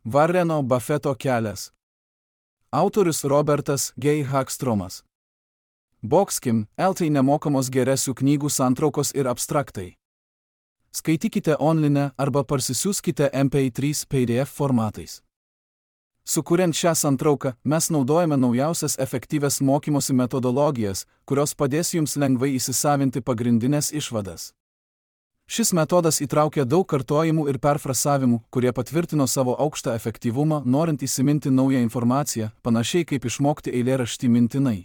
Warreno Buffetto kelias. Autorius Robertas G. Hagstromas. Boxkim, LT nemokamos geresių knygų santraukos ir abstraktai. Skaitykite online arba parsisiųskite MP3 PDF formatais. Sukuriant šią santrauką, mes naudojame naujausias efektyvias mokymosi metodologijas, kurios padės jums lengvai įsisavinti pagrindinės išvadas. Šis metodas įtraukia daug kartojimų ir perfrasavimų, kurie patvirtino savo aukštą efektyvumą, norint įsiminti naują informaciją, panašiai kaip išmokti eilėraštį mintinai.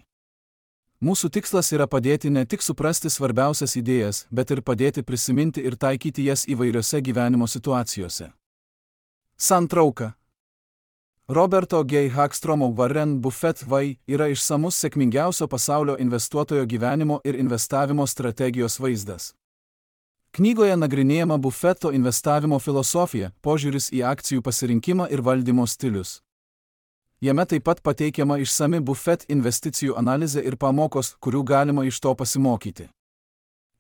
Mūsų tikslas yra padėti ne tik suprasti svarbiausias idėjas, bet ir padėti prisiminti ir taikyti jas įvairiose gyvenimo situacijose. Santrauka. Roberto G. Hagstromo Warren Buffett vai yra išsamus sėkmingiausio pasaulio investuotojo gyvenimo ir investavimo strategijos vaizdas. Knygoje nagrinėjama Buffetto investavimo filosofija, požiūris į akcijų pasirinkimą ir valdymo stilius. Jame taip pat pateikiama išsami Buffett investicijų analizė ir pamokos, kurių galima iš to pasimokyti.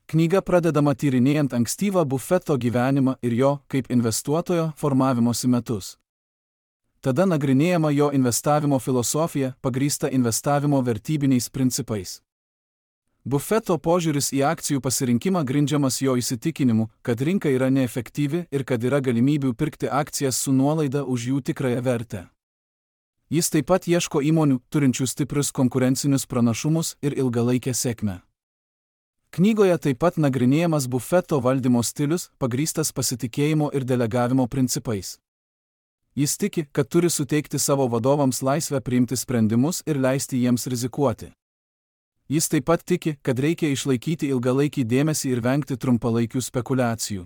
Knyga pradedama tyrinėjant ankstyvą Buffetto gyvenimą ir jo, kaip investuotojo, formavimosi metus. Tada nagrinėjama jo investavimo filosofija, pagrįsta investavimo vertybiniais principais. Buffetto požiūris į akcijų pasirinkimą grindžiamas jo įsitikinimu, kad rinka yra neefektyvi ir kad yra galimybių pirkti akcijas su nuolaida už jų tikrąją vertę. Jis taip pat ieško įmonių, turinčių stiprius konkurencinius pranašumus ir ilgalaikę sėkmę. Knygoje taip pat nagrinėjamas Buffetto valdymo stilius, pagrįstas pasitikėjimo ir delegavimo principais. Jis tiki, kad turi suteikti savo vadovams laisvę priimti sprendimus ir leisti jiems rizikuoti. Jis taip pat tiki, kad reikia išlaikyti ilgalaikį dėmesį ir vengti trumpalaikių spekulacijų.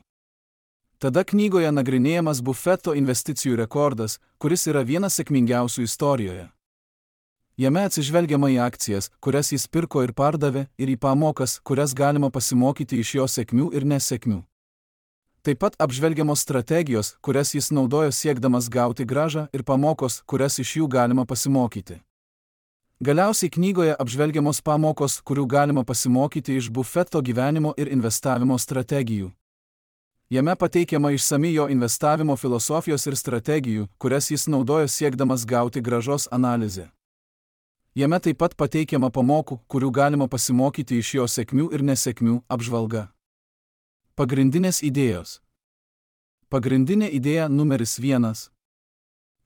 Tada knygoje nagrinėjamas Buffetto investicijų rekordas, kuris yra vienas sėkmingiausių istorijoje. Jame atsižvelgiama į akcijas, kurias jis pirko ir pardavė, ir į pamokas, kurias galima pasimokyti iš jo sėkmių ir nesėkmių. Taip pat apžvelgiamos strategijos, kurias jis naudojo siekdamas gauti grąžą, ir pamokos, kurias iš jų galima pasimokyti. Galiausiai knygoje apžvelgiamos pamokos, kurių galima pasimokyti iš Buffetto gyvenimo ir investavimo strategijų. Jame pateikiama išsami jo investavimo filosofijos ir strategijų, kurias jis naudojo siekdamas gauti grąžos analizę. Jame taip pat pateikiama pamokų, kurių galima pasimokyti iš jo sėkmių ir nesėkmių apžvalga. Pagrindinės idėjos. Pagrindinė idėja numeris 1.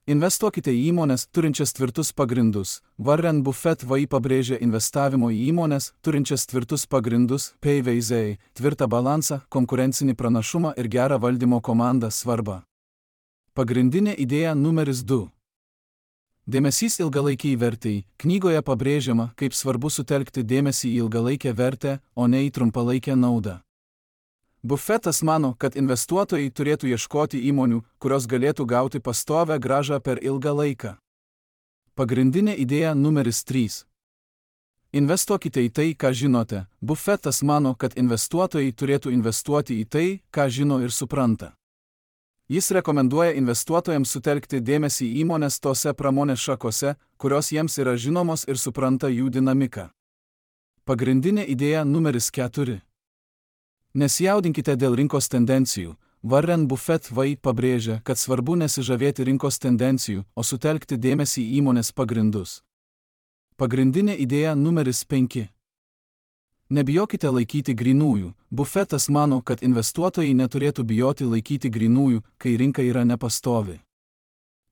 Investuokite į įmonės, turinčias tvirtus pagrindus. Warren Buffett vai pabrėžia investavimo į įmonės, turinčias tvirtus pagrindus, PVZ, tvirtą balansą, konkurencinį pranašumą ir gerą valdymo komandą svarbą. Pagrindinė idėja numeris 2. Dėmesys ilgalaikiai vertei. Knygoje pabrėžiama, kaip svarbu sutelkti dėmesį į ilgalaikę vertę, o ne į trumpalaikę naudą. Buffettas mano, kad investuotojai turėtų ieškoti įmonių, kurios galėtų gauti pastovią grąžą per ilgą laiką. Pagrindinė idėja numeris 3. Investuokite į tai, ką žinote. Buffettas mano, kad investuotojai turėtų investuoti į tai, ką žino ir supranta. Jis rekomenduoja investuotojams sutelkti dėmesį į įmonės tose pramonės šakose, kurios jiems yra žinomos ir supranta jų dinamiką. Pagrindinė idėja numeris 4. Nesijaudinkite dėl rinkos tendencijų. Warren Buffett vai pabrėžia, kad svarbu nesižavėti rinkos tendencijų, o sutelkti dėmesį į įmonės pagrindus. Pagrindinė idėja numeris 5. Nebijokite laikyti grynųjų. Buffettas mano, kad investuotojai neturėtų bijoti laikyti grynųjų, kai rinka yra nepastovi.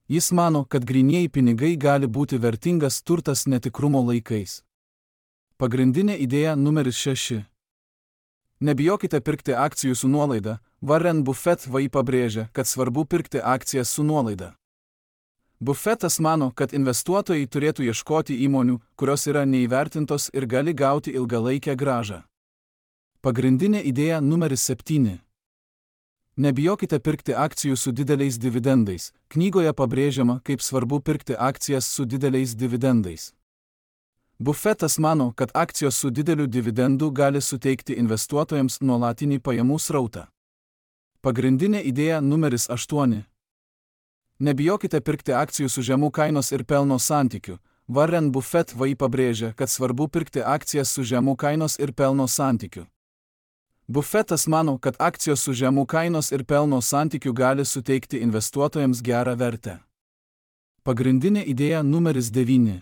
Jis mano, kad grynieji pinigai gali būti vertingas turtas netikrumo laikais. Pagrindinė idėja numeris 6. Nebijokite pirkti akcijų su nuolaida. Warren Buffett vai pabrėžia, kad svarbu pirkti akcijas su nuolaida. Buffettas mano, kad investuotojai turėtų ieškoti įmonių, kurios yra neįvertintos ir gali gauti ilgalaikę grąžą. Pagrindinė idėja numeris 7. Nebijokite pirkti akcijų su dideliais dividendais. Knygoje pabrėžiama, kaip svarbu pirkti akcijas su dideliais dividendais. Buffettas mano, kad akcijos su dideliu dividendu gali suteikti investuotojams nuolatinį pajamų srautą. Pagrindinė idėja numeris 8. Nebijokite pirkti akcijų su žemų kainos ir pelno santykiu. Warren Buffett vai pabrėžia, kad svarbu pirkti akcijas su žemų kainos ir pelno santykiu. Buffetas mano, kad akcijos su žemų kainos ir pelno santykiu gali suteikti investuotojams gerą vertę. Pagrindinė idėja numeris 9.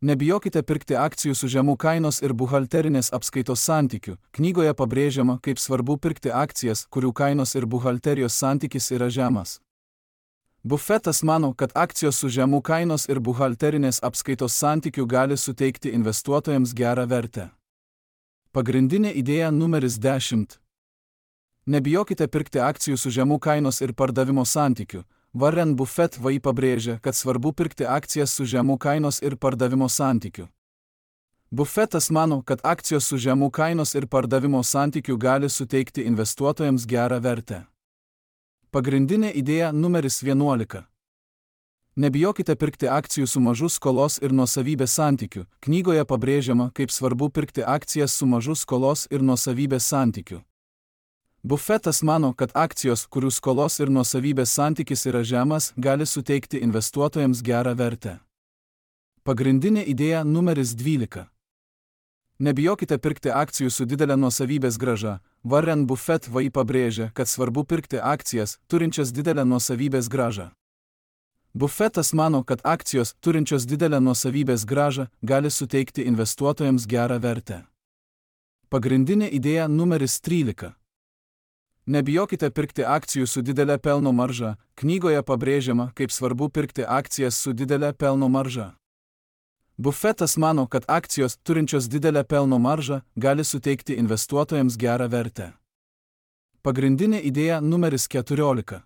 Nebijokite pirkti akcijų su žemų kainos ir buhalterinės apskaitos santykiu. Knygoje pabrėžiama, kaip svarbu pirkti akcijas, kurių kainos ir buhalterijos santykis yra žemas. Buffetas mano, kad akcijos su žemų kainos ir buhalterinės apskaitos santykiu gali suteikti investuotojams gerą vertę. Pagrindinė idėja numeris 10. Nebijokite pirkti akcijų su žemų kainos ir pardavimo santykiu. Warren Buffett VI pabrėžia, kad svarbu pirkti akcijas su žemų kainos ir pardavimo santykiu. Buffetas mano, kad akcijos su žemų kainos ir pardavimo santykiu gali suteikti investuotojams gerą vertę. Pagrindinė idėja numeris 11. Nebijokite pirkti akcijų su mažu skolos ir nuosavybės santykiu. Knygoje pabrėžiama, kaip svarbu pirkti akcijas su mažu skolos ir nuosavybės santykiu. Buffetas mano, kad akcijos, kurių skolos ir nuosavybės santykis yra žemas, gali suteikti investuotojams gerą vertę. Pagrindinė idėja numeris 12. Nebijokite pirkti akcijų su didelė nuosavybės grąža. Warren Buffett VI pabrėžia, kad svarbu pirkti akcijas, turinčias didelę nuosavybės grąžą. Buffetas mano, kad akcijos, turinčios didelę nuosavybės grąžą, gali suteikti investuotojams gerą vertę. Pagrindinė idėja numeris 13. Nebijokite pirkti akcijų su didelė pelno marža. Knygoje pabrėžiama, kaip svarbu pirkti akcijas su didelė pelno marža. Buffetas mano, kad akcijos, turinčios didelę pelno maržą, gali suteikti investuotojams gerą vertę. Pagrindinė idėja numeris 14.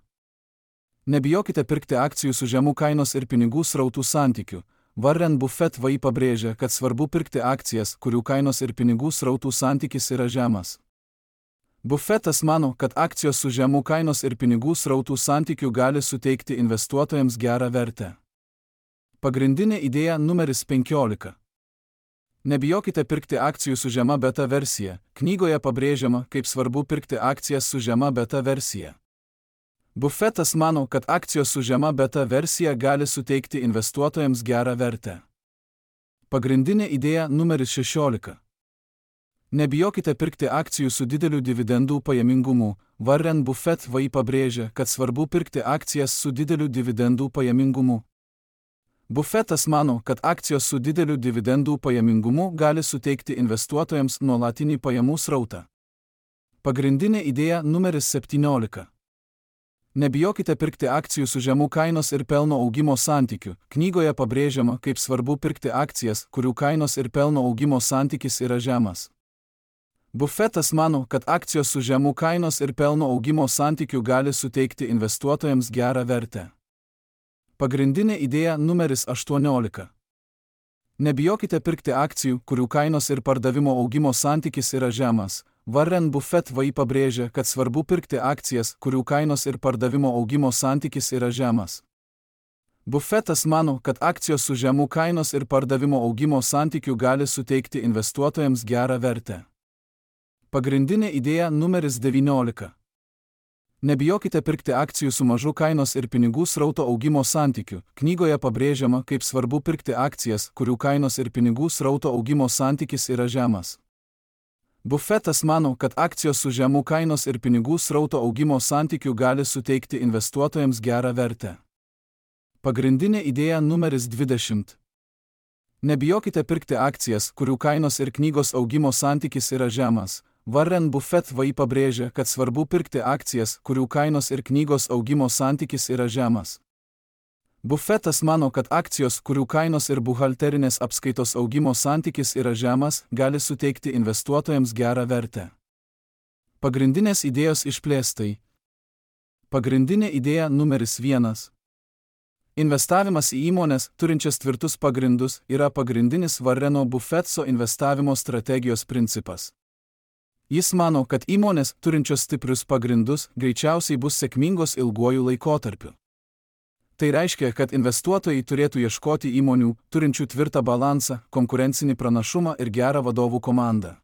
Nebijokite pirkti akcijų su žemų kainos ir pinigų srautų santykiu. Warren Buffett VI pabrėžia, kad svarbu pirkti akcijas, kurių kainos ir pinigų srautų santykis yra žemas. Buffetas mano, kad akcijos su žemų kainos ir pinigų srautų santykiu gali suteikti investuotojams gerą vertę. Pagrindinė idėja numeris 15. Nebijokite pirkti akcijų su žema beta versija. Knygoje pabrėžiama, kaip svarbu pirkti akcijas su žema beta versija. Buffetas mano, kad akcijos su žema beta versija gali suteikti investuotojams gerą vertę. Pagrindinė idėja numeris 16. Nebijokite pirkti akcijų su dideliu dividendų pajamingumu. Warren Buffett VI pabrėžia, kad svarbu pirkti akcijas su dideliu dividendų pajamingumu. Buffetas mano, kad akcijos su dideliu dividendų pajamingumu gali suteikti investuotojams nuolatinį pajamų srautą. Pagrindinė idėja numeris 17. Nebijokite pirkti akcijų su žemų kainos ir pelno augimo santykiu. Knygoje pabrėžiama, kaip svarbu pirkti akcijas, kurių kainos ir pelno augimo santykis yra žemas. Buffetas mano, kad akcijos su žemų kainos ir pelno augimo santykiu gali suteikti investuotojams gerą vertę. Pagrindinė idėja numeris 18. Nebijokite pirkti akcijų, kurių kainos ir pardavimo augimo santykis yra žemas. Warren Buffett VI pabrėžia, kad svarbu pirkti akcijas, kurių kainos ir pardavimo augimo santykis yra žemas. Buffetas mano, kad akcijos su žemų kainos ir pardavimo augimo santykiu gali suteikti investuotojams gerą vertę. Pagrindinė idėja numeris 19. Nebijokite pirkti akcijų su mažu kainos ir pinigų srauto augimo santykiu. Knygoje pabrėžiama, kaip svarbu pirkti akcijas, kurių kainos ir pinigų srauto augimo santykis yra žemas. Buffetas mano, kad akcijos su žemų kainos ir pinigų srauto augimo santykiu gali suteikti investuotojams gerą vertę. Pagrindinė idėja numeris 20. Nebijokite pirkti akcijas, kurių kainos ir knygos augimo santykis yra žemas. Warren Buffett VI pabrėžia, kad svarbu pirkti akcijas, kurių kainos ir knygos augimo santykis yra žemas. Buffetas mano, kad akcijos, kurių kainos ir buhalterinės apskaitos augimo santykis yra žemas, gali suteikti investuotojams gerą vertę. Pagrindinės idėjos išplėstai. Pagrindinė idėja numeris 1. Investavimas į įmones, turinčias tvirtus pagrindus, yra pagrindinis Warreno Buffetto investavimo strategijos principas. Jis mano, kad įmonės, turinčios stiprius pagrindus, greičiausiai bus sėkmingos ilguoju laikotarpiu. Tai reiškia, kad investuotojai turėtų ieškoti įmonių, turinčių tvirtą balansą, konkurencinį pranašumą ir gerą vadovų komandą.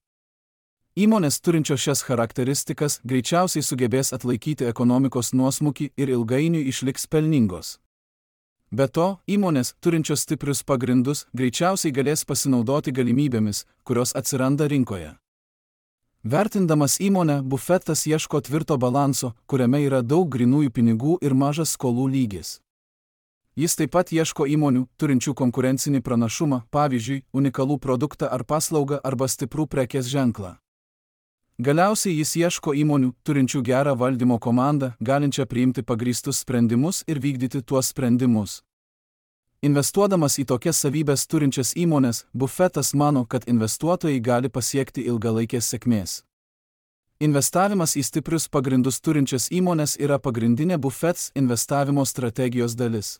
Įmonės turinčios šias charakteristikas greičiausiai sugebės atlaikyti ekonomikos nuosmukį ir ilgainiui išliks pelningos. Be to, įmonės, turinčios stiprius pagrindus, greičiausiai galės pasinaudoti galimybėmis, kurios atsiranda rinkoje. Vertindamas įmonę, Buffettas ieško tvirto balanso, kuriame yra daug grynųjų pinigų ir mažas skolų lygis. Jis taip pat ieško įmonių, turinčių konkurencinį pranašumą, pavyzdžiui, unikalų produktą ar paslaugą arba stiprų prekės ženklą. Galiausiai jis ieško įmonių, turinčių gerą valdymo komandą, galinčią priimti pagrįstus sprendimus ir vykdyti tuos sprendimus. Investuodamas į tokias savybes turinčias įmonės, Buffettas mano, kad investuotojai gali pasiekti ilgalaikės sėkmės. Investavimas į stiprius pagrindus turinčias įmonės yra pagrindinė Buffettas investavimo strategijos dalis.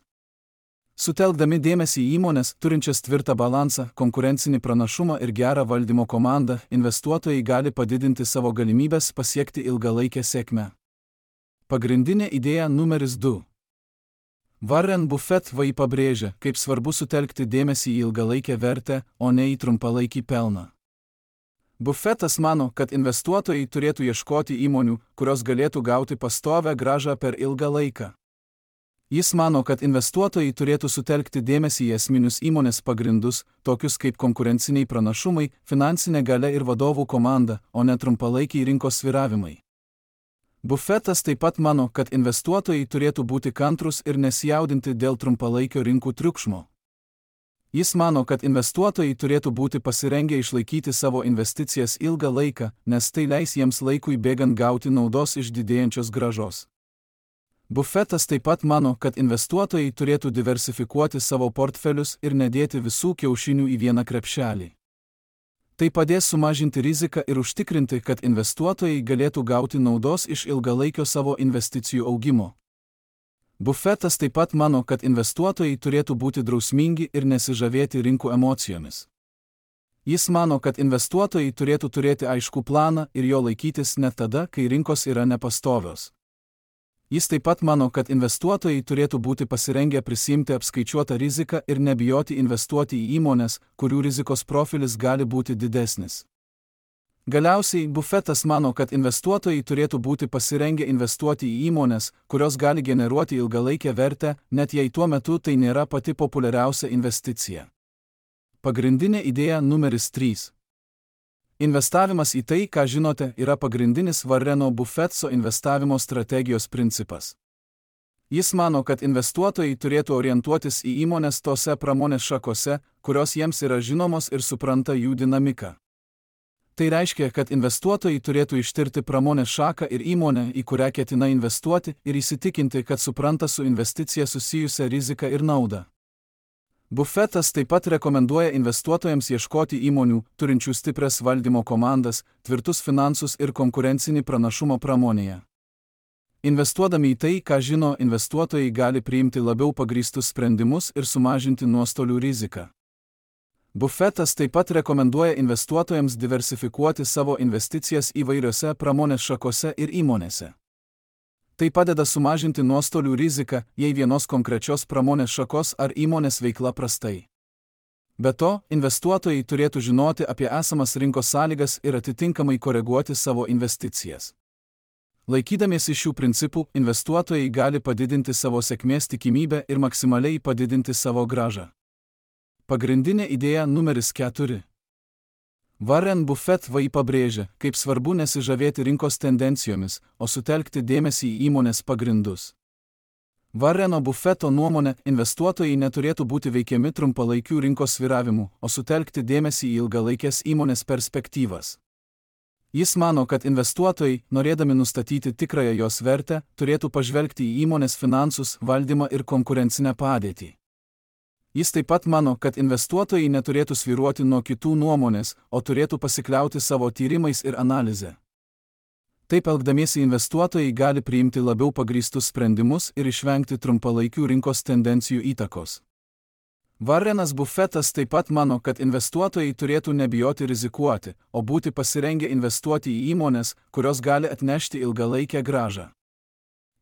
Sutelkdami dėmesį į įmonės, turinčias tvirtą balansą, konkurencinį pranašumą ir gerą valdymo komandą, investuotojai gali padidinti savo galimybės pasiekti ilgalaikę sėkmę. Pagrindinė idėja numeris 2. Warren Buffett pabrėžia, kaip svarbu sutelkti dėmesį į ilgalaikę vertę, o ne į trumpalaikį pelną. Buffettas mano, kad investuotojai turėtų ieškoti įmonių, kurios galėtų gauti pastovią grąžą per ilgą laiką. Jis mano, kad investuotojai turėtų sutelkti dėmesį į esminius įmonės pagrindus, tokius kaip konkurenciniai pranašumai, finansinė galia ir vadovų komanda, o ne trumpalaikiai rinkos svyravimai. Buffettas taip pat mano, kad investuotojai turėtų būti kantrūs ir nesijaudinti dėl trumpalaikio rinkų triukšmo. Jis mano, kad investuotojai turėtų būti pasirengę išlaikyti savo investicijas ilgą laiką, nes tai leis jiems laikui bėgant gauti naudos iš didėjančios grąžos. Buffettas taip pat mano, kad investuotojai turėtų diversifikuoti savo portfelius ir nedėti visų kiaušinių į vieną krepšelį. Tai padės sumažinti riziką ir užtikrinti, kad investuotojai galėtų gauti naudos iš ilgalaikio savo investicijų augimo. Buffettas taip pat mano, kad investuotojai turėtų būti drausmingi ir nesižavėti rinkų emocijomis. Jis mano, kad investuotojai turėtų turėti aiškų planą ir jo laikytis net tada, kai rinkos yra nepastovios. Jis taip pat mano, kad investuotojai turėtų būti pasirengę prisiimti apskaičiuotą riziką ir nebijoti investuoti į įmonės, kurių rizikos profilis gali būti didesnis. Galiausiai, Buffettas mano, kad investuotojai turėtų būti pasirengę investuoti į įmonės, kurios gali generuoti ilgalaikę vertę, net jei tuo metu tai nėra pati populiariausia investicija. Pagrindinė idėja numeris 3. Investavimas į tai, ką žinote, yra pagrindinis Warreno Buffetto investavimo strategijos principas. Jis mano, kad investuotojai turėtų orientuotis į įmonės tose pramonės šakose, kurios jiems yra žinomos ir supranta jų dinamiką. Tai reiškia, kad investuotojai turėtų ištirti pramonės šaką ir įmonę, į kurią ketina investuoti, ir įsitikinti, kad supranta su investicija susijusią riziką ir naudą. Buffettas taip pat rekomenduoja investuotojams ieškoti įmonių, turinčių stiprias valdymo komandas, tvirtus finansus ir konkurencinį pranašumą pramonėje. Investuodami į tai, ką žino, investuotojai gali priimti labiau pagrįstus sprendimus ir sumažinti nuostolių riziką. Buffettas taip pat rekomenduoja investuotojams diversifikuoti savo investicijas įvairiose pramonės šakose ir įmonėse. Tai padeda sumažinti nuostolių riziką, jei vienos konkrečios pramonės šakos ar įmonės veikla prastai. Be to, investuotojai turėtų žinoti apie esamas rinkos sąlygas ir atitinkamai koreguoti savo investicijas. Laikydamiesi šių principų, investuotojai gali padidinti savo sėkmės tikimybę ir maksimaliai padidinti savo grąžą. Pagrindinė idėja numeris 4. Warren Buffett pabrėžia, kaip svarbu nesižavėti rinkos tendencijomis, o sutelkti dėmesį į įmonės pagrindus. Warreno Buffetto nuomone, investuotojai neturėtų būti veikiami trumpalaikių rinkos svyravimų, o sutelkti dėmesį į ilgalaikės įmonės perspektyvas. Jis mano, kad investuotojai, norėdami nustatyti tikrąją jos vertę, turėtų pažvelgti į įmonės finansus, valdymą ir konkurencinę padėtį. Jis taip pat mano, kad investuotojai neturėtų svyruoti nuo kitų nuomonės, o turėtų pasikliauti savo tyrimais ir analize. Taip elgdamiesi investuotojai gali priimti labiau pagrįstus sprendimus ir išvengti trumpalaikių rinkos tendencijų įtakos. Warrenas Buffettas taip pat mano, kad investuotojai turėtų nebijoti rizikuoti, o būti pasirengę investuoti į įmonės, kurios gali atnešti ilgalaikę grąžą.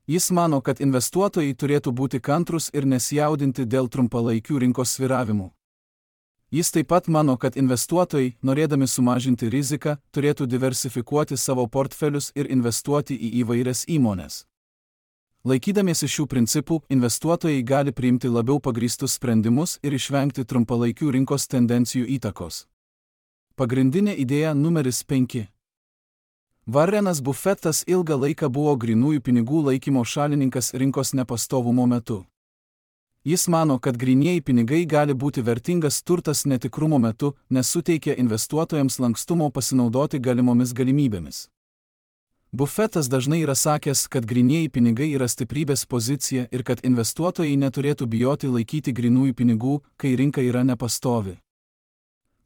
Jis mano, kad investuotojai turėtų būti kantrūs ir nesijaudinti dėl trumpalaikių rinkos svyravimų. Jis taip pat mano, kad investuotojai, norėdami sumažinti riziką, turėtų diversifikuoti savo portfelius ir investuoti į įvairias įmones. Laikydamiesi šių principų, investuotojai gali priimti labiau pagrįstus sprendimus ir išvengti trumpalaikių rinkos tendencijų įtakos. Pagrindinė idėja numeris 5. Warrenas Buffettas ilgą laiką buvo grynųjų pinigų laikymo šalininkas rinkos nepastovumo metu. Jis mano, kad grynieji pinigai gali būti vertingas turtas netikrumo metu, nes suteikia investuotojams lankstumo pasinaudoti galimomis galimybėmis. Buffettas dažnai yra sakęs, kad grynieji pinigai yra stiprybės pozicija ir kad investuotojai neturėtų bijoti laikyti grynųjų pinigų, kai rinka yra nepastovi.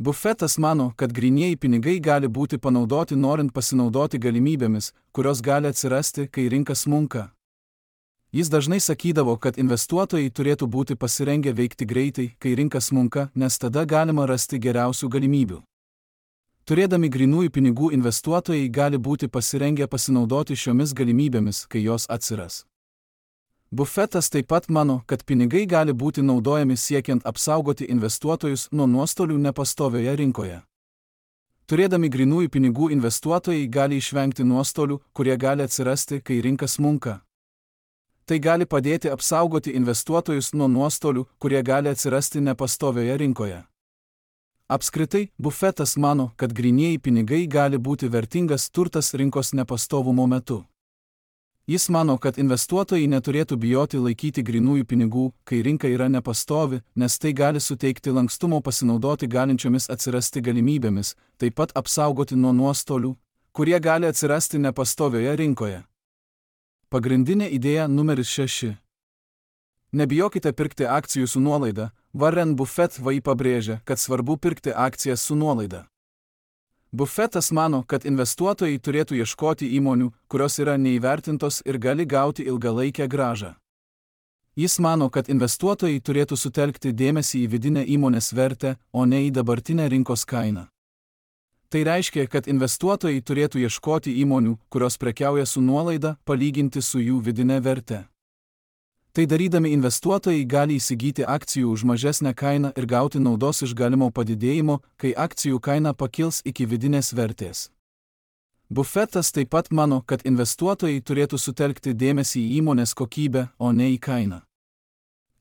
Buffettas mano, kad grynieji pinigai gali būti panaudoti norint pasinaudoti galimybėmis, kurios gali atsirasti, kai rinka smunka. Jis dažnai sakydavo, kad investuotojai turėtų būti pasirengę veikti greitai, kai rinka smunka, nes tada galima rasti geriausių galimybių. Turėdami grynųjų pinigų investuotojai gali būti pasirengę pasinaudoti šiomis galimybėmis, kai jos atsiras. Buffettas taip pat mano, kad pinigai gali būti naudojami siekiant apsaugoti investuotojus nuo nuostolių nepastovioje rinkoje. Turėdami grynųjų pinigų investuotojai gali išvengti nuostolių, kurie gali atsirasti, kai rinka smunka. Tai gali padėti apsaugoti investuotojus nuo nuostolių, kurie gali atsirasti nepastovioje rinkoje. Apskritai, Buffettas mano, kad grynieji pinigai gali būti vertingas turtas rinkos nepastovumo metu. Jis mano, kad investuotojai neturėtų bijoti laikyti grynųjų pinigų, kai rinka yra nepastovi, nes tai gali suteikti lankstumo pasinaudoti galinčiomis atsirasti galimybėmis, taip pat apsaugoti nuo nuostolių, kurie gali atsirasti nepastovioje rinkoje. Pagrindinė idėja numeris 6. Nebijokite pirkti akcijų su nuolaida. Warren Buffett pabrėžia, kad svarbu pirkti akcijas su nuolaida. Buffettas mano, kad investuotojai turėtų ieškoti įmonių, kurios yra neįvertintos ir gali gauti ilgalaikę grąžą. Jis mano, kad investuotojai turėtų sutelkti dėmesį į vidinę įmonės vertę, o ne į dabartinę rinkos kainą. Tai reiškia, kad investuotojai turėtų ieškoti įmonių, kurios prekiauja su nuolaida, palyginti su jų vidinė verte. Tai darydami investuotojai gali įsigyti akcijų už mažesnę kainą ir gauti naudos iš galimo padidėjimo, kai akcijų kaina pakils iki vidinės vertės. Buffettas taip pat mano, kad investuotojai turėtų sutelkti dėmesį į įmonės kokybę, o ne į kainą.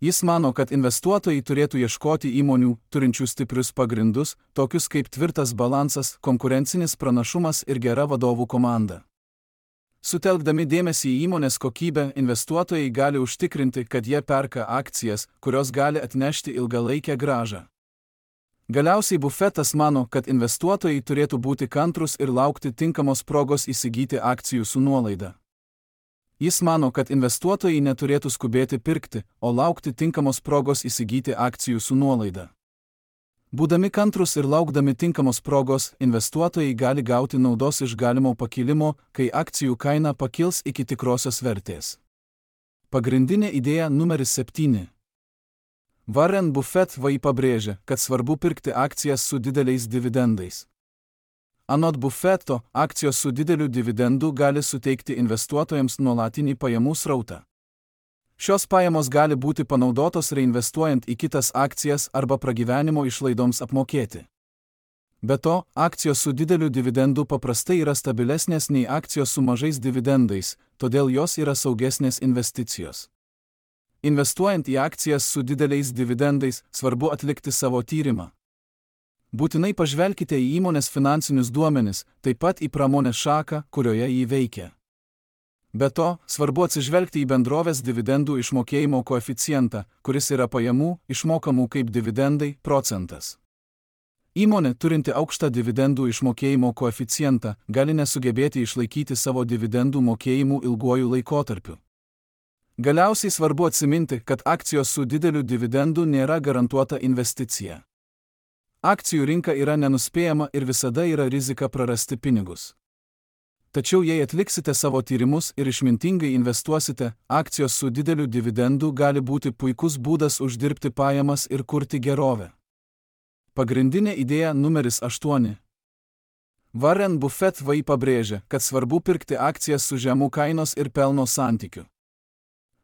Jis mano, kad investuotojai turėtų ieškoti įmonių, turinčių stiprius pagrindus, tokius kaip tvirtas balansas, konkurencinis pranašumas ir gera vadovų komanda. Sutelkdami dėmesį į įmonės kokybę, investuotojai gali užtikrinti, kad jie perka akcijas, kurios gali atnešti ilgalaikę grąžą. Galiausiai Buffettas mano, kad investuotojai turėtų būti kantrūs ir laukti tinkamos progos įsigyti akcijų su nuolaida. Jis mano, kad investuotojai neturėtų skubėti pirkti, o laukti tinkamos progos įsigyti akcijų su nuolaida. Būdami kantrūs ir laukdami tinkamos progos, investuotojai gali gauti naudos iš galimo pakilimo, kai akcijų kaina pakils iki tikrosios vertės. Pagrindinė idėja numeris 7. Warren Buffett pabrėžia, kad svarbu pirkti akcijas su dideliais dividendais. Anot Buffetto, akcijos su dideliu dividendu gali suteikti investuotojams nuolatinį pajamų srautą. Šios pajamos gali būti panaudotos reinvestuojant į kitas akcijas arba pragyvenimo išlaidoms apmokėti. Be to, akcijos su dideliu dividendu paprastai yra stabilesnės nei akcijos su mažais dividendais, todėl jos yra saugesnės investicijos. Investuojant į akcijas su dideliais dividendais, svarbu atlikti savo tyrimą. Būtinai pažvelkite į įmonės finansinius duomenis, taip pat į pramonės šaką, kurioje jį veikia. Be to, svarbu atsižvelgti į bendrovės dividendų išmokėjimo koeficientą, kuris yra pajamų, išmokamų kaip dividendai, procentas. Įmonė, turinti aukštą dividendų išmokėjimo koeficientą, gali nesugebėti išlaikyti savo dividendų mokėjimų ilguoju laikotarpiu. Galiausiai svarbu atsiminti, kad akcijos su dideliu dividendu nėra garantuota investicija. Akcijų rinka yra nenuspėjama ir visada yra rizika prarasti pinigus. Tačiau jei atliksite savo tyrimus ir išmintingai investuosite, akcijos su dideliu dividendu gali būti puikus būdas uždirbti pajamas ir kurti gerovę. Pagrindinė idėja numeris 8. Warren Buffett pabrėžia, kad svarbu pirkti akcijas su žemu kainos ir pelno santykiu.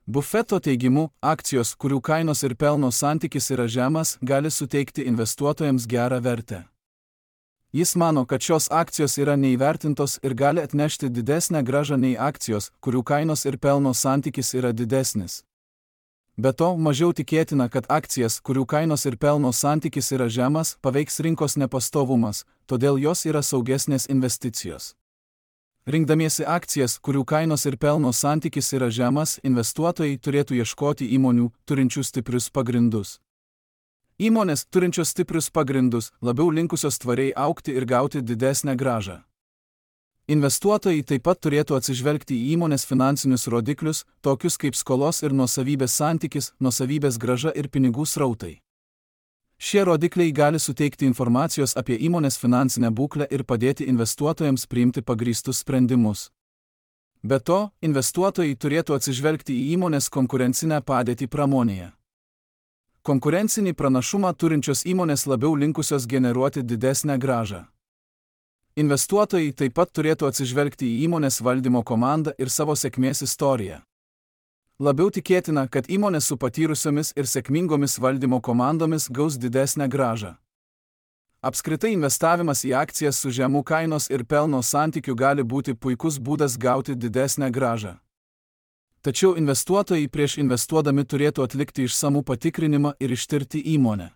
Buffetto teigimu, akcijos, kurių kainos ir pelno santykis yra žemas, gali suteikti investuotojams gerą vertę. Jis mano, kad šios akcijos yra neįvertintos ir gali atnešti didesnę grąžą nei akcijos, kurių kainos ir pelno santykis yra didesnis. Be to, mažiau tikėtina, kad akcijas, kurių kainos ir pelno santykis yra žemas, paveiks rinkos nepastovumas, todėl jos yra saugesnės investicijos. Rinkdamiesi akcijas, kurių kainos ir pelno santykis yra žemas, investuotojai turėtų ieškoti įmonių, turinčių stiprius pagrindus. Įmonės, turinčios stiprius pagrindus, labiau linkusios tvariai augti ir gauti didesnę grąžą. Investuotojai taip pat turėtų atsižvelgti į įmonės finansinius rodiklius, tokius kaip skolos ir nuosavybės santykis, nuosavybės grąža ir pinigų srautai. Šie rodikliai gali suteikti informacijos apie įmonės finansinę būklę ir padėti investuotojams priimti pagrįstus sprendimus. Be to, investuotojai turėtų atsižvelgti į įmonės konkurencinę padėtį pramonėje. Konkurencinį pranašumą turinčios įmonės labiau linkusios generuoti didesnę grąžą. Investuotojai taip pat turėtų atsižvelgti į įmonės valdymo komandą ir savo sėkmės istoriją. Labiau tikėtina, kad įmonės su patyrusiomis ir sėkmingomis valdymo komandomis gaus didesnę grąžą. Apskritai investavimas į akcijas su žemu kainos ir pelno santykiu gali būti puikus būdas gauti didesnę grąžą. Tačiau investuotojai prieš investuodami turėtų atlikti išsamų patikrinimą ir ištirti įmonę.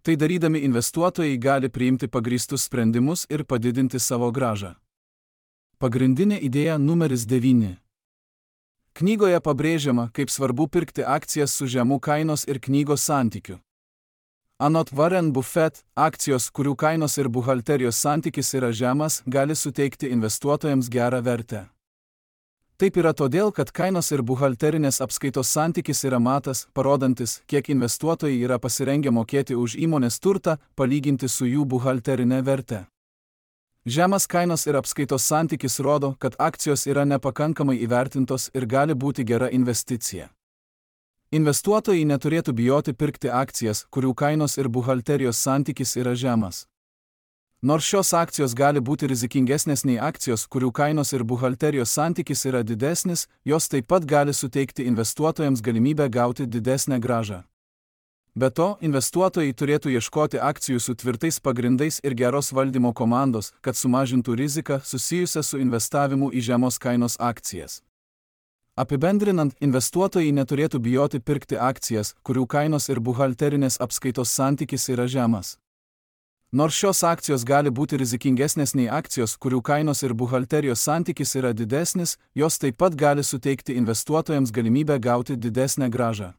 Tai darydami investuotojai gali priimti pagrįstus sprendimus ir padidinti savo grąžą. Pagrindinė idėja numeris 9. Knygoje pabrėžiama, kaip svarbu pirkti akcijas su žemu kainos ir knygos santykiu. Anot Warren Buffett, akcijos, kurių kainos ir buhalterijos santykis yra žemas, gali suteikti investuotojams gerą vertę. Taip yra todėl, kad kainos ir buhalterinės apskaitos santykis yra matas, parodantis, kiek investuotojai yra pasirengę mokėti už įmonės turtą, palyginti su jų buhalterinė verte. Žemas kainos ir apskaitos santykis rodo, kad akcijos yra nepakankamai įvertintos ir gali būti gera investicija. Investuotojai neturėtų bijoti pirkti akcijas, kurių kainos ir buhalterijos santykis yra žemas. Nors šios akcijos gali būti rizikingesnės nei akcijos, kurių kainos ir buhalterijos santykis yra didesnis, jos taip pat gali suteikti investuotojams galimybę gauti didesnę grąžą. Be to, investuotojai turėtų ieškoti akcijų su tvirtais pagrindais ir geros valdymo komandos, kad sumažintų riziką susijusią su investavimu į žemos kainos akcijas. Apibendrinant, investuotojai neturėtų bijoti pirkti akcijas, kurių kainos ir buhalterinės apskaitos santykis yra žemas. Nors šios akcijos gali būti rizikingesnės nei akcijos, kurių kainos ir buhalterijos santykis yra didesnis, jos taip pat gali suteikti investuotojams galimybę gauti didesnę grąžą.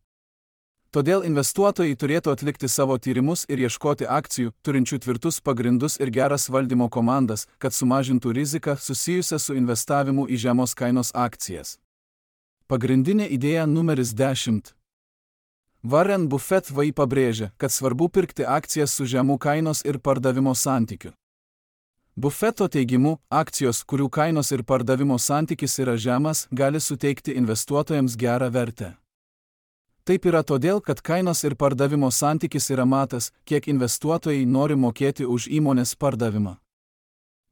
Todėl investuotojai turėtų atlikti savo tyrimus ir ieškoti akcijų, turinčių tvirtus pagrindus ir geras valdymo komandas, kad sumažintų riziką susijusią su investavimu į žemos kainos akcijas. Pagrindinė idėja numeris 10. Warren Buffett pabrėžia, kad svarbu pirkti akcijas su žemu kainos ir pardavimo santykiu. Buffetto teigimu, akcijos, kurių kainos ir pardavimo santykis yra žemas, gali suteikti investuotojams gerą vertę. Taip yra todėl, kad kainos ir pardavimo santykis yra matas, kiek investuotojai nori mokėti už įmonės pardavimą.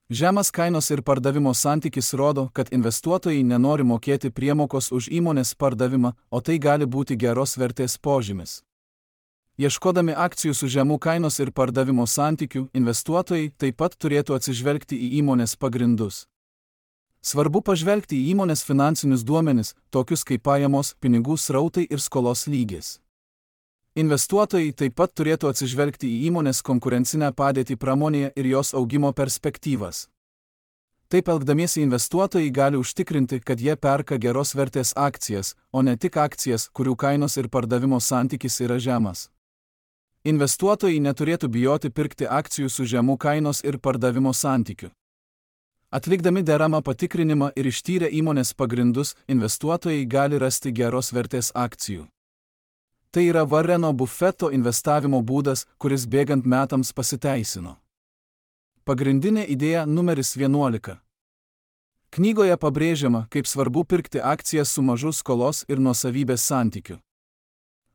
Žemas kainos ir pardavimo santykis rodo, kad investuotojai nenori mokėti priemokos už įmonės pardavimą, o tai gali būti geros vertės požymis. Ieškodami akcijų su žemu kainos ir pardavimo santykiu, investuotojai taip pat turėtų atsižvelgti į įmonės pagrindus. Svarbu pažvelgti į įmonės finansinius duomenis, tokius kaip pajamos, pinigų srautai ir skolos lygis. Investuotojai taip pat turėtų atsižvelgti į įmonės konkurencinę padėtį pramonėje ir jos augimo perspektyvas. Taip elgdamiesi investuotojai gali užtikrinti, kad jie perka geros vertės akcijas, o ne tik akcijas, kurių kainos ir pardavimo santykis yra žemas. Investuotojai neturėtų bijoti pirkti akcijų su žemu kainos ir pardavimo santykiu. Atlikdami deramą patikrinimą ir ištyrę įmonės pagrindus, investuotojai gali rasti geros vertės akcijų. Tai yra Warreno Buffetto investavimo būdas, kuris bėgant metams pasiteisino. Pagrindinė idėja numeris 11. Knygoje pabrėžiama, kaip svarbu pirkti akcijas su mažu skolos ir nuosavybės santykiu.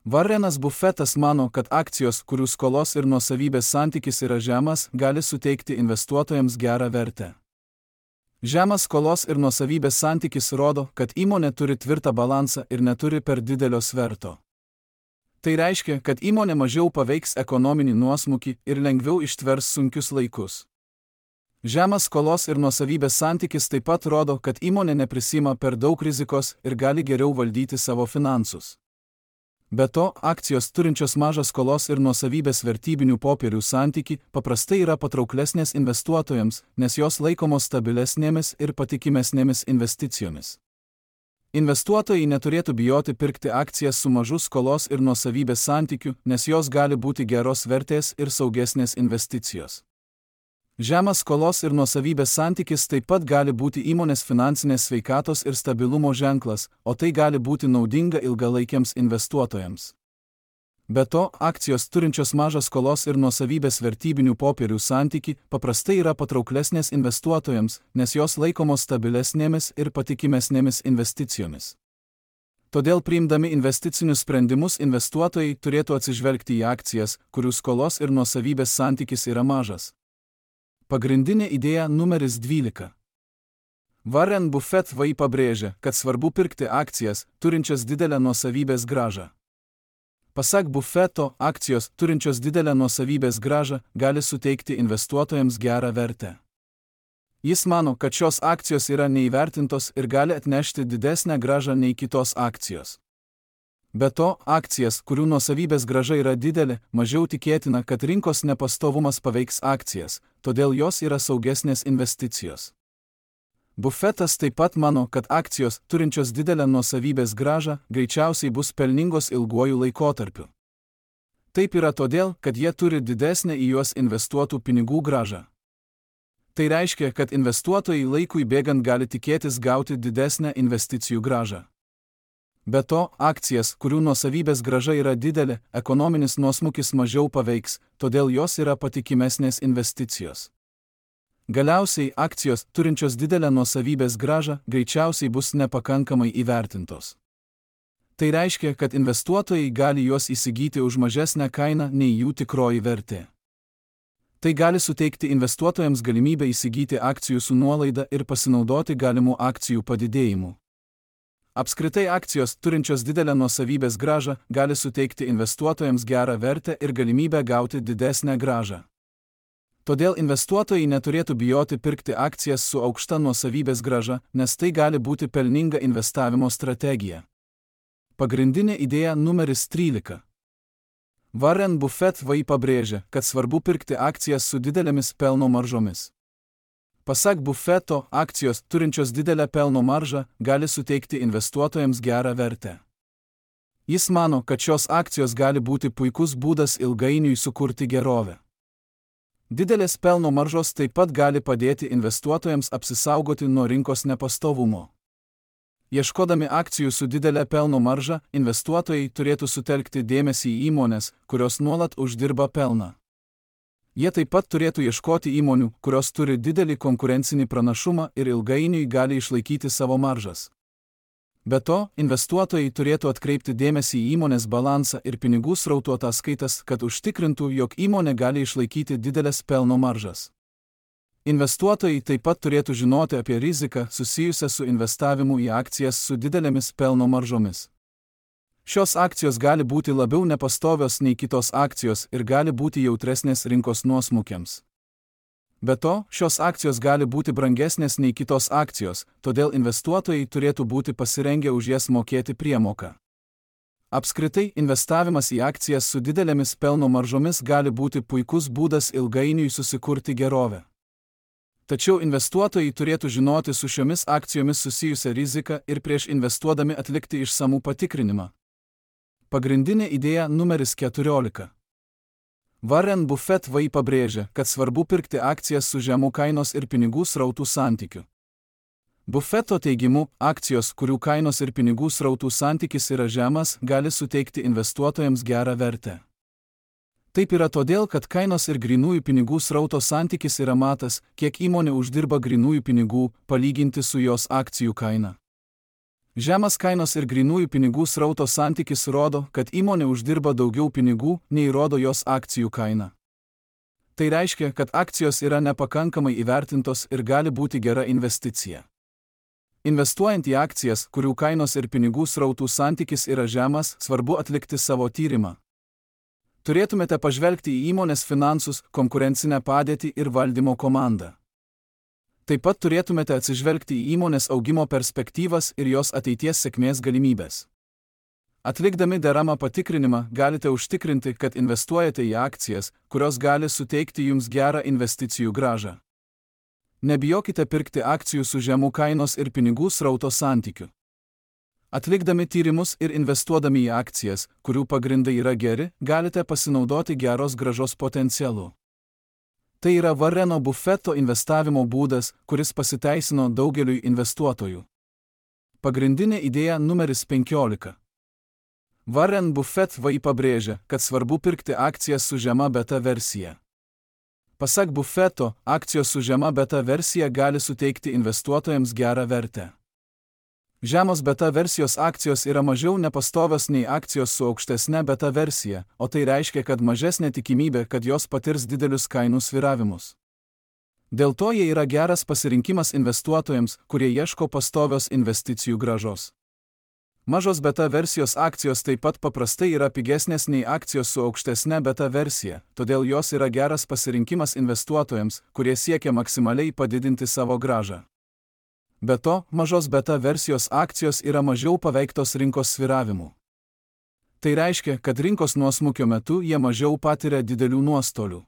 Warrenas Buffettas mano, kad akcijos, kurių skolos ir nuosavybės santykis yra žemas, gali suteikti investuotojams gerą vertę. Žemas skolos ir nuosavybės santykis rodo, kad įmonė turi tvirtą balansą ir neturi per didelio sverto. Tai reiškia, kad įmonė mažiau paveiks ekonominį nuosmukį ir lengviau ištvers sunkius laikus. Žemas skolos ir nuosavybės santykis taip pat rodo, kad įmonė neprisima per daug rizikos ir gali geriau valdyti savo finansus. Be to, akcijos turinčios mažą skolos ir nuosavybės vertybinių popierių santykį paprastai yra patrauklesnės investuotojams, nes jos laikomos stabilesnėmis ir patikimesnėmis investicijomis. Investuotojai neturėtų bijoti pirkti akcijas su mažu skolos ir nuosavybės santykiu, nes jos gali būti geros vertės ir saugesnės investicijos. Žemas skolos ir nuosavybės santykis taip pat gali būti įmonės finansinės sveikatos ir stabilumo ženklas, o tai gali būti naudinga ilgalaikiams investuotojams. Be to, akcijos turinčios mažą skolos ir nuosavybės vertybinių popierių santykį paprastai yra patrauklesnės investuotojams, nes jos laikomos stabilesnėmis ir patikimesnėmis investicijomis. Todėl priimdami investicinius sprendimus investuotojai turėtų atsižvelgti į akcijas, kurių skolos ir nuosavybės santykis yra mažas. Pagrindinė idėja numeris 12. Warren Buffett pabrėžia, kad svarbu pirkti akcijas, turinčias didelę nuosavybės grąžą. Pasak Buffetto, akcijos, turinčios didelę nuosavybės grąžą, gali suteikti investuotojams gerą vertę. Jis mano, kad šios akcijos yra neįvertintos ir gali atnešti didesnę grąžą nei kitos akcijos. Be to, akcijas, kurių nuosavybės grąža yra didelė, mažiau tikėtina, kad rinkos nepastovumas paveiks akcijas, todėl jos yra saugesnės investicijos. Buffettas taip pat mano, kad akcijos, turinčios didelę nuosavybės grąžą, greičiausiai bus pelningos ilguoju laikotarpiu. Taip yra todėl, kad jie turi didesnę į juos investuotų pinigų grąžą. Tai reiškia, kad investuotojai laikui bėgant gali tikėtis gauti didesnę investicijų grąžą. Be to, akcijas, kurių nuosavybės grąža yra didelė, ekonominis nuosmukis mažiau paveiks, todėl jos yra patikimesnės investicijos. Galiausiai, akcijos, turinčios didelę nuosavybės grąžą, greičiausiai bus nepakankamai įvertintos. Tai reiškia, kad investuotojai gali juos įsigyti už mažesnę kainą nei jų tikroji vertė. Tai gali suteikti investuotojams galimybę įsigyti akcijų su nuolaida ir pasinaudoti galimų akcijų padidėjimu. Apskritai akcijos, turinčios didelę nuosavybės grąžą, gali suteikti investuotojams gerą vertę ir galimybę gauti didesnę grąžą. Todėl investuotojai neturėtų bijoti pirkti akcijas su aukšta nuosavybės grąža, nes tai gali būti pelninga investavimo strategija. Pagrindinė idėja numeris 13. Warren Buffett pabrėžia, kad svarbu pirkti akcijas su didelėmis pelno maržomis. Pasak Buffetto, akcijos, turinčios didelę pelno maržą, gali suteikti investuotojams gerą vertę. Jis mano, kad šios akcijos gali būti puikus būdas ilgainiui sukurti gerovę. Didelės pelno maržos taip pat gali padėti investuotojams apsisaugoti nuo rinkos nepastovumo. Ieškodami akcijų su didelė pelno marža, investuotojai turėtų sutelkti dėmesį į įmones, kurios nuolat uždirba pelną. Jie taip pat turėtų ieškoti įmonių, kurios turi didelį konkurencinį pranašumą ir ilgainiui gali išlaikyti savo maržas. Be to, investuotojai turėtų atkreipti dėmesį į įmonės balansą ir pinigų srautų ataskaitas, kad užtikrintų, jog įmonė gali išlaikyti didelės pelno maržas. Investuotojai taip pat turėtų žinoti apie riziką susijusią su investavimu į akcijas su didelėmis pelno maržomis. Šios akcijos gali būti labiau nepastovios nei kitos akcijos ir gali būti jautresnės rinkos nuosmukiams. Be to, šios akcijos gali būti brangesnės nei kitos akcijos, todėl investuotojai turėtų būti pasirengę už jas mokėti priemoką. Apskritai, investavimas į akcijas su didelėmis pelno maržomis gali būti puikus būdas ilgainiui susikurti gerovę. Tačiau investuotojai turėtų žinoti su šiomis akcijomis susijusią riziką ir prieš investuodami atlikti išsamų patikrinimą. Pagrindinė idėja numeris 14. Warren Buffett pabrėžia, kad svarbu pirkti akcijas su žemu kainos ir pinigų srautų santykiu. Buffetto teigimu, akcijos, kurių kainos ir pinigų srautų santykis yra žemas, gali suteikti investuotojams gerą vertę. Taip yra todėl, kad kainos ir grynųjų pinigų srauto santykis yra matas, kiek įmonė uždirba grynųjų pinigų, palyginti su jos akcijų kaina. Žemas kainos ir grynųjų pinigų srauto santykis rodo, kad įmonė uždirba daugiau pinigų, nei rodo jos akcijų kaina. Tai reiškia, kad akcijos yra nepakankamai įvertintos ir gali būti gera investicija. Investuojant į akcijas, kurių kainos ir pinigų srautų santykis yra žemas, svarbu atlikti savo tyrimą. Turėtumėte pažvelgti į įmonės finansus, konkurencinę padėtį ir valdymo komandą. Taip pat turėtumėte atsižvelgti į įmonės augimo perspektyvas ir jos ateities sėkmės galimybės. Atlikdami deramą patikrinimą galite užtikrinti, kad investuojate į akcijas, kurios gali suteikti jums gerą investicijų grąžą. Nebijokite pirkti akcijų su žemu kainos ir pinigų srauto santykiu. Atlikdami tyrimus ir investuodami į akcijas, kurių pagrindai yra geri, galite pasinaudoti geros grąžos potencialu. Tai yra Warreno Buffetto investavimo būdas, kuris pasiteisino daugeliui investuotojų. Pagrindinė idėja numeris 15. Warren Buffett pabrėžia, kad svarbu pirkti akcijas su žema beta versija. Pasak Buffetto, akcijos su žema beta versija gali suteikti investuotojams gerą vertę. Žemos beta versijos akcijos yra mažiau nepastovios nei akcijos su aukštesne beta versija, o tai reiškia, kad mažesnė tikimybė, kad jos patirs didelius kainų svyravimus. Dėl to jie yra geras pasirinkimas investuotojams, kurie ieško pastovios investicijų grąžos. Mažos beta versijos akcijos taip pat paprastai yra pigesnės nei akcijos su aukštesne beta versija, todėl jos yra geras pasirinkimas investuotojams, kurie siekia maksimaliai padidinti savo grąžą. Be to, mažos beta versijos akcijos yra mažiau paveiktos rinkos svyravimų. Tai reiškia, kad rinkos nuosmukio metu jie mažiau patiria didelių nuostolių.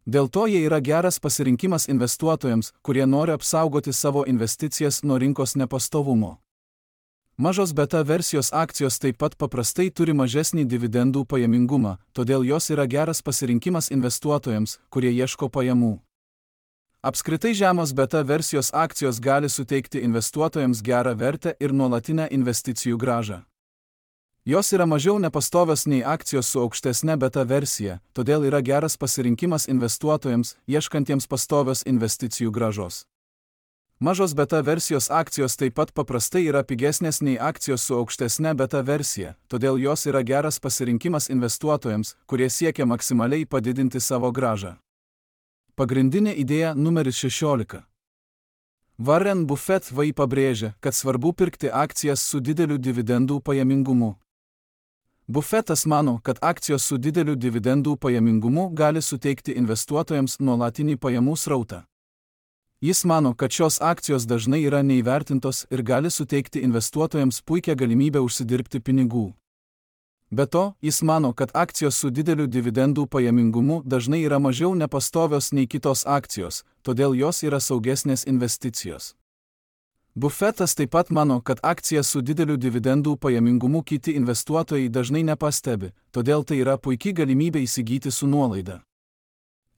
Dėl to jie yra geras pasirinkimas investuotojams, kurie nori apsaugoti savo investicijas nuo rinkos nepastovumo. Mažos beta versijos akcijos taip pat paprastai turi mažesnį dividendų pajamingumą, todėl jos yra geras pasirinkimas investuotojams, kurie ieško pajamų. Apskritai žemos beta versijos akcijos gali suteikti investuotojams gerą vertę ir nuolatinę investicijų grąžą. Jos yra mažiau nepastovios nei akcijos su aukštesne beta versija, todėl yra geras pasirinkimas investuotojams, ieškantiems pastovios investicijų grąžos. Mažos beta versijos akcijos taip pat paprastai yra pigesnės nei akcijos su aukštesne beta versija, todėl jos yra geras pasirinkimas investuotojams, kurie siekia maksimaliai padidinti savo grąžą. Pagrindinė idėja numeris 16. Warren Buffett pabrėžia, kad svarbu pirkti akcijas su dideliu dividendų pajamingumu. Buffettas mano, kad akcijos su dideliu dividendų pajamingumu gali suteikti investuotojams nuolatinį pajamų srautą. Jis mano, kad šios akcijos dažnai yra neįvertintos ir gali suteikti investuotojams puikią galimybę užsidirbti pinigų. Be to, jis mano, kad akcijos su dideliu dividendų pajamingumu dažnai yra mažiau nepastovios nei kitos akcijos, todėl jos yra saugesnės investicijos. Buffettas taip pat mano, kad akcijas su dideliu dividendų pajamingumu kiti investuotojai dažnai nepastebi, todėl tai yra puikia galimybė įsigyti su nuolaida.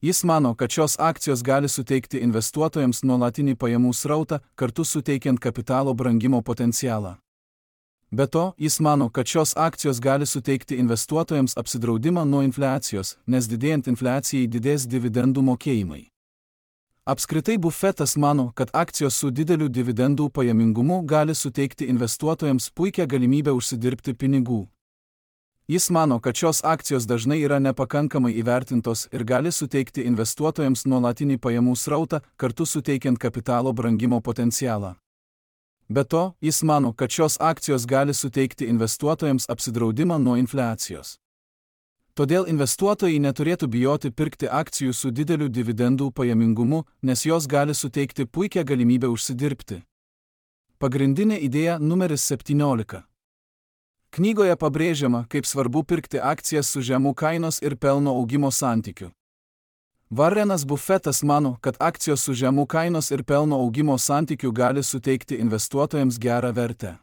Jis mano, kad šios akcijos gali suteikti investuotojams nuolatinį pajamų srautą, kartu suteikiant kapitalo brangimo potencialą. Be to, jis mano, kad šios akcijos gali suteikti investuotojams apsidraudimą nuo infliacijos, nes didėjant infliacijai didės dividendų mokėjimai. Apskritai Buffettas mano, kad akcijos su dideliu dividendų pajamingumu gali suteikti investuotojams puikią galimybę užsidirbti pinigų. Jis mano, kad šios akcijos dažnai yra nepakankamai įvertintos ir gali suteikti investuotojams nuolatinį pajamų srautą, kartu suteikiant kapitalo brangimo potencialą. Be to, jis mano, kad šios akcijos gali suteikti investuotojams apsidraudimą nuo infliacijos. Todėl investuotojai neturėtų bijoti pirkti akcijų su dideliu dividendų pajamingumu, nes jos gali suteikti puikią galimybę užsidirbti. Pagrindinė idėja numeris 17. Knygoje pabrėžiama, kaip svarbu pirkti akcijas su žemu kainos ir pelno augimo santykiu. Warrenas Buffettas mano, kad akcijos su žemu kainos ir pelno augimo santykiu gali suteikti investuotojams gerą vertę.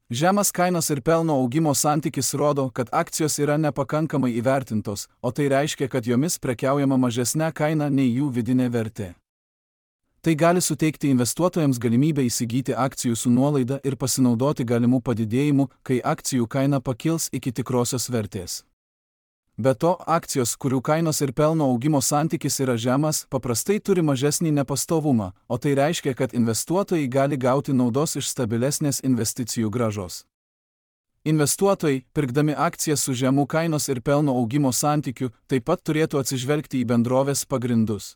Žemas kainos ir pelno augimo santykis rodo, kad akcijos yra nepakankamai įvertintos, o tai reiškia, kad jomis prekiaujama mažesnė kaina nei jų vidinė vertė. Tai gali suteikti investuotojams galimybę įsigyti akcijų su nuolaida ir pasinaudoti galimų padidėjimų, kai akcijų kaina pakils iki tikrosios vertės. Be to, akcijos, kurių kainos ir pelno augimo santykis yra žemas, paprastai turi mažesnį nepastovumą, o tai reiškia, kad investuotojai gali gauti naudos iš stabilesnės investicijų grąžos. Investuotojai, pirkdami akcijas su žemu kainos ir pelno augimo santykiu, taip pat turėtų atsižvelgti į bendrovės pagrindus.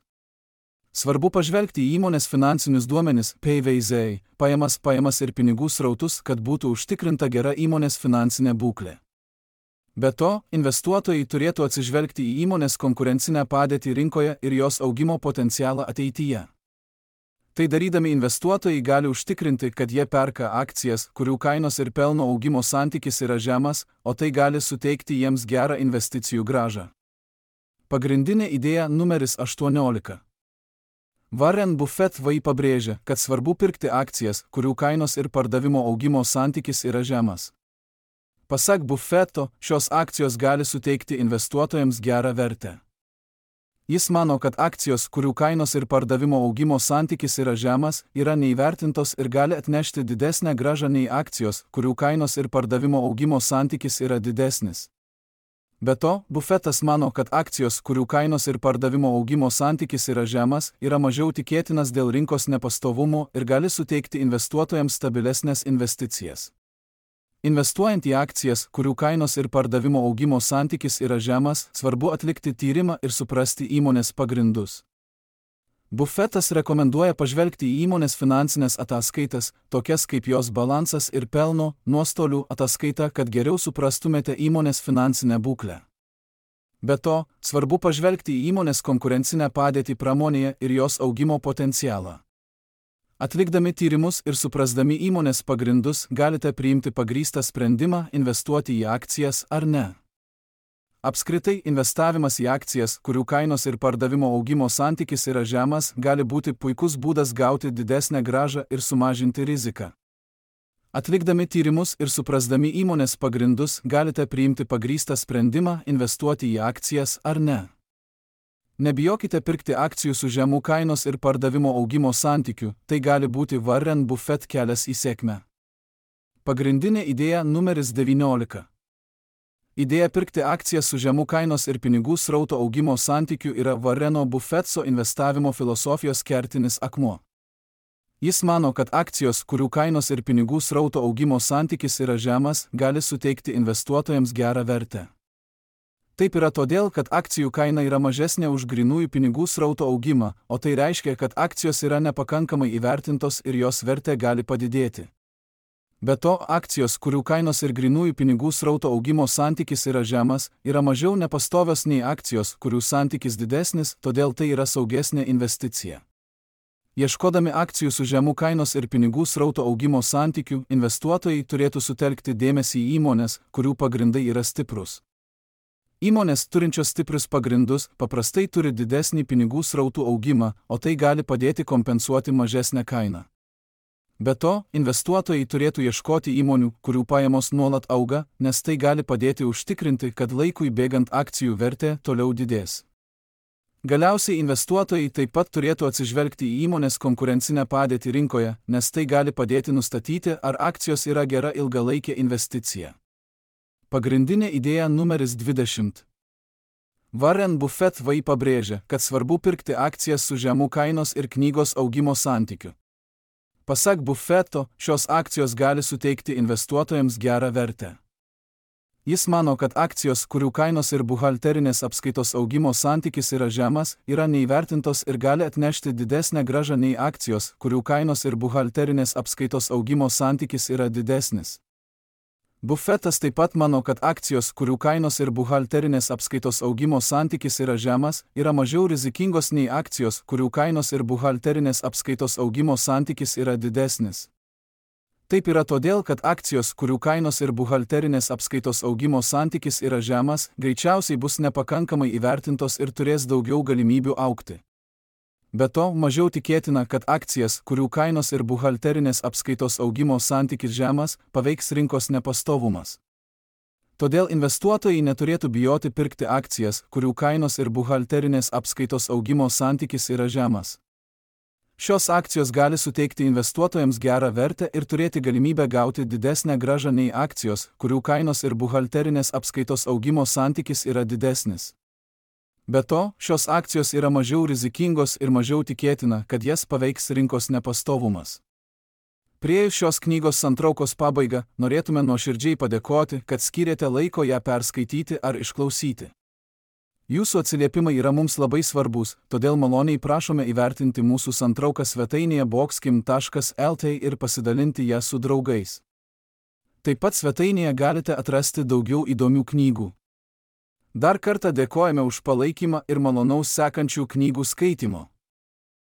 Svarbu pažvelgti į įmonės finansinius duomenis, PVZ, pajamas ir pinigų srautus, kad būtų užtikrinta gera įmonės finansinė būklė. Be to, investuotojai turėtų atsižvelgti į įmonės konkurencinę padėtį rinkoje ir jos augimo potencialą ateityje. Tai darydami investuotojai gali užtikrinti, kad jie perka akcijas, kurių kainos ir pelno augimo santykis yra žemas, o tai gali suteikti jiems gerą investicijų grąžą. Pagrindinė idėja numeris 18. Warren Buffett pabrėžia, kad svarbu pirkti akcijas, kurių kainos ir pardavimo augimo santykis yra žemas. Pasak Buffetto, šios akcijos gali suteikti investuotojams gerą vertę. Jis mano, kad akcijos, kurių kainos ir pardavimo augimo santykis yra žemas, yra neįvertintos ir gali atnešti didesnę grąžą nei akcijos, kurių kainos ir pardavimo augimo santykis yra didesnis. Be to, Buffettas mano, kad akcijos, kurių kainos ir pardavimo augimo santykis yra žemas, yra mažiau tikėtinas dėl rinkos nepastovumo ir gali suteikti investuotojams stabilesnės investicijas. Investuojant į akcijas, kurių kainos ir pardavimo augimo santykis yra žemas, svarbu atlikti tyrimą ir suprasti įmonės pagrindus. Buffettas rekomenduoja pažvelgti į įmonės finansinės ataskaitas, tokias kaip jos balansas ir pelno, nuostolių ataskaita, kad geriau suprastumėte įmonės finansinę būklę. Be to, svarbu pažvelgti į įmonės konkurencinę padėtį pramonėje ir jos augimo potencialą. Atlikdami tyrimus ir suprasdami įmonės pagrindus, galite priimti pagrįstą sprendimą investuoti į akcijas ar ne. Apskritai, investavimas į akcijas, kurių kainos ir pardavimo augimo santykis yra žemas, gali būti puikus būdas gauti didesnę grąžą ir sumažinti riziką. Atlikdami tyrimus ir suprasdami įmonės pagrindus, galite priimti pagrįstą sprendimą investuoti į akcijas ar ne. Nebijokite pirkti akcijų su žemų kainos ir pardavimo augimo santykiu, tai gali būti Warren Buffett kelias į sėkmę. Pagrindinė idėja numeris 19. Idėja pirkti akcijas su žemų kainos ir pinigų srauto augimo santykiu yra Warreno Buffetto investavimo filosofijos kertinis akmuo. Jis mano, kad akcijos, kurių kainos ir pinigų srauto augimo santykis yra žemas, gali suteikti investuotojams gerą vertę. Taip yra todėl, kad akcijų kaina yra mažesnė už grynųjų pinigų srauto augimą, o tai reiškia, kad akcijos yra nepakankamai įvertintos ir jos vertė gali padidėti. Be to, akcijos, kurių kainos ir grynųjų pinigų srauto augimo santykis yra žemas, yra mažiau nepastovios nei akcijos, kurių santykis didesnis, todėl tai yra saugesnė investicija. Ieškodami akcijų su žemų kainos ir pinigų srauto augimo santykiu, investuotojai turėtų sutelkti dėmesį į įmonės, kurių pagrindai yra stiprus. Įmonės turinčios stiprius pagrindus paprastai turi didesnį pinigų srautų augimą, o tai gali padėti kompensuoti mažesnę kainą. Be to, investuotojai turėtų ieškoti įmonių, kurių pajamos nuolat auga, nes tai gali padėti užtikrinti, kad laikui bėgant akcijų vertė toliau didės. Galiausiai investuotojai taip pat turėtų atsižvelgti į įmonės konkurencinę padėtį rinkoje, nes tai gali padėti nustatyti, ar akcijos yra gera ilgalaikė investicija. Pagrindinė idėja numeris 20. Warren Buffett pabrėžia, kad svarbu pirkti akcijas su žemų kainos ir knygos augimo santykiu. Pasak Buffetto, šios akcijos gali suteikti investuotojams gerą vertę. Jis mano, kad akcijos, kurių kainos ir buhalterinės apskaitos augimo santykis yra žemas, yra neįvertintos ir gali atnešti didesnę grąžą nei akcijos, kurių kainos ir buhalterinės apskaitos augimo santykis yra didesnis. Buffettas taip pat mano, kad akcijos, kurių kainos ir buhalterinės apskaitos augimo santykis yra žemas, yra mažiau rizikingos nei akcijos, kurių kainos ir buhalterinės apskaitos augimo santykis yra didesnis. Taip yra todėl, kad akcijos, kurių kainos ir buhalterinės apskaitos augimo santykis yra žemas, greičiausiai bus nepakankamai įvertintos ir turės daugiau galimybių augti. Be to, mažiau tikėtina, kad akcijas, kurių kainos ir buhalterinės apskaitos augimo santykis žemas, paveiks rinkos nepastovumas. Todėl investuotojai neturėtų bijoti pirkti akcijas, kurių kainos ir buhalterinės apskaitos augimo santykis yra žemas. Šios akcijos gali suteikti investuotojams gerą vertę ir turėti galimybę gauti didesnę grąžą nei akcijos, kurių kainos ir buhalterinės apskaitos augimo santykis yra didesnis. Be to, šios akcijos yra mažiau rizikingos ir mažiau tikėtina, kad jas paveiks rinkos nepastovumas. Priėjus šios knygos santraukos pabaigą, norėtume nuoširdžiai padėkoti, kad skyrėte laiko ją perskaityti ar išklausyti. Jūsų atsiliepimai yra mums labai svarbus, todėl maloniai prašome įvertinti mūsų santrauką svetainėje boxkim.lt ir pasidalinti ją su draugais. Taip pat svetainėje galite atrasti daugiau įdomių knygų. Dar kartą dėkojame už palaikymą ir malonaus sekančių knygų skaitimo.